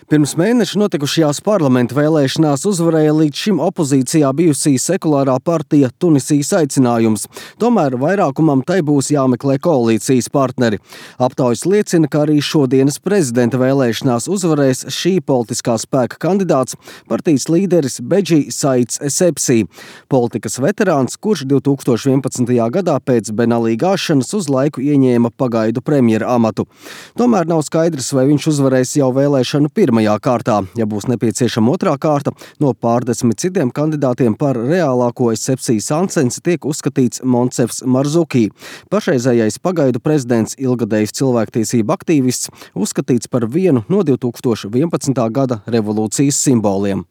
Pirms mēneša notikušajās parlamenta vēlēšanās uzvarēja līdz šim opozīcijā bijusī sekulārā partija Tunisijas aicinājums. Tomēr vairākumam tai būs jāmeklē koalīcijas partneri. Aptaujas liecina, ka arī šodienas prezidenta vēlēšanās uzvarēs šī politiskā spēka kandidāts, partijas līderis Bedži Saids Essebsi, politikas veterāns, kurš 2011. gadā pēc Benalī gāšanas uz laiku ieņēma pagaidu premjera amatu. Tomēr nav skaidrs, vai viņš uzvarēs jau vēlēšanu pirmajā kārtā. Ja būs nepieciešama otrā kārta, no pārdesmit citiem kandidātiem par reālāko Essebsi sancensi tiek uzskatīts Monsefs Marzuki. Pašreizējais pagaidu prezidents, ilgadējs cilvēktiesību aktīvists, uzskatīts par vienu no 2011. gada revolūcijas simboliem.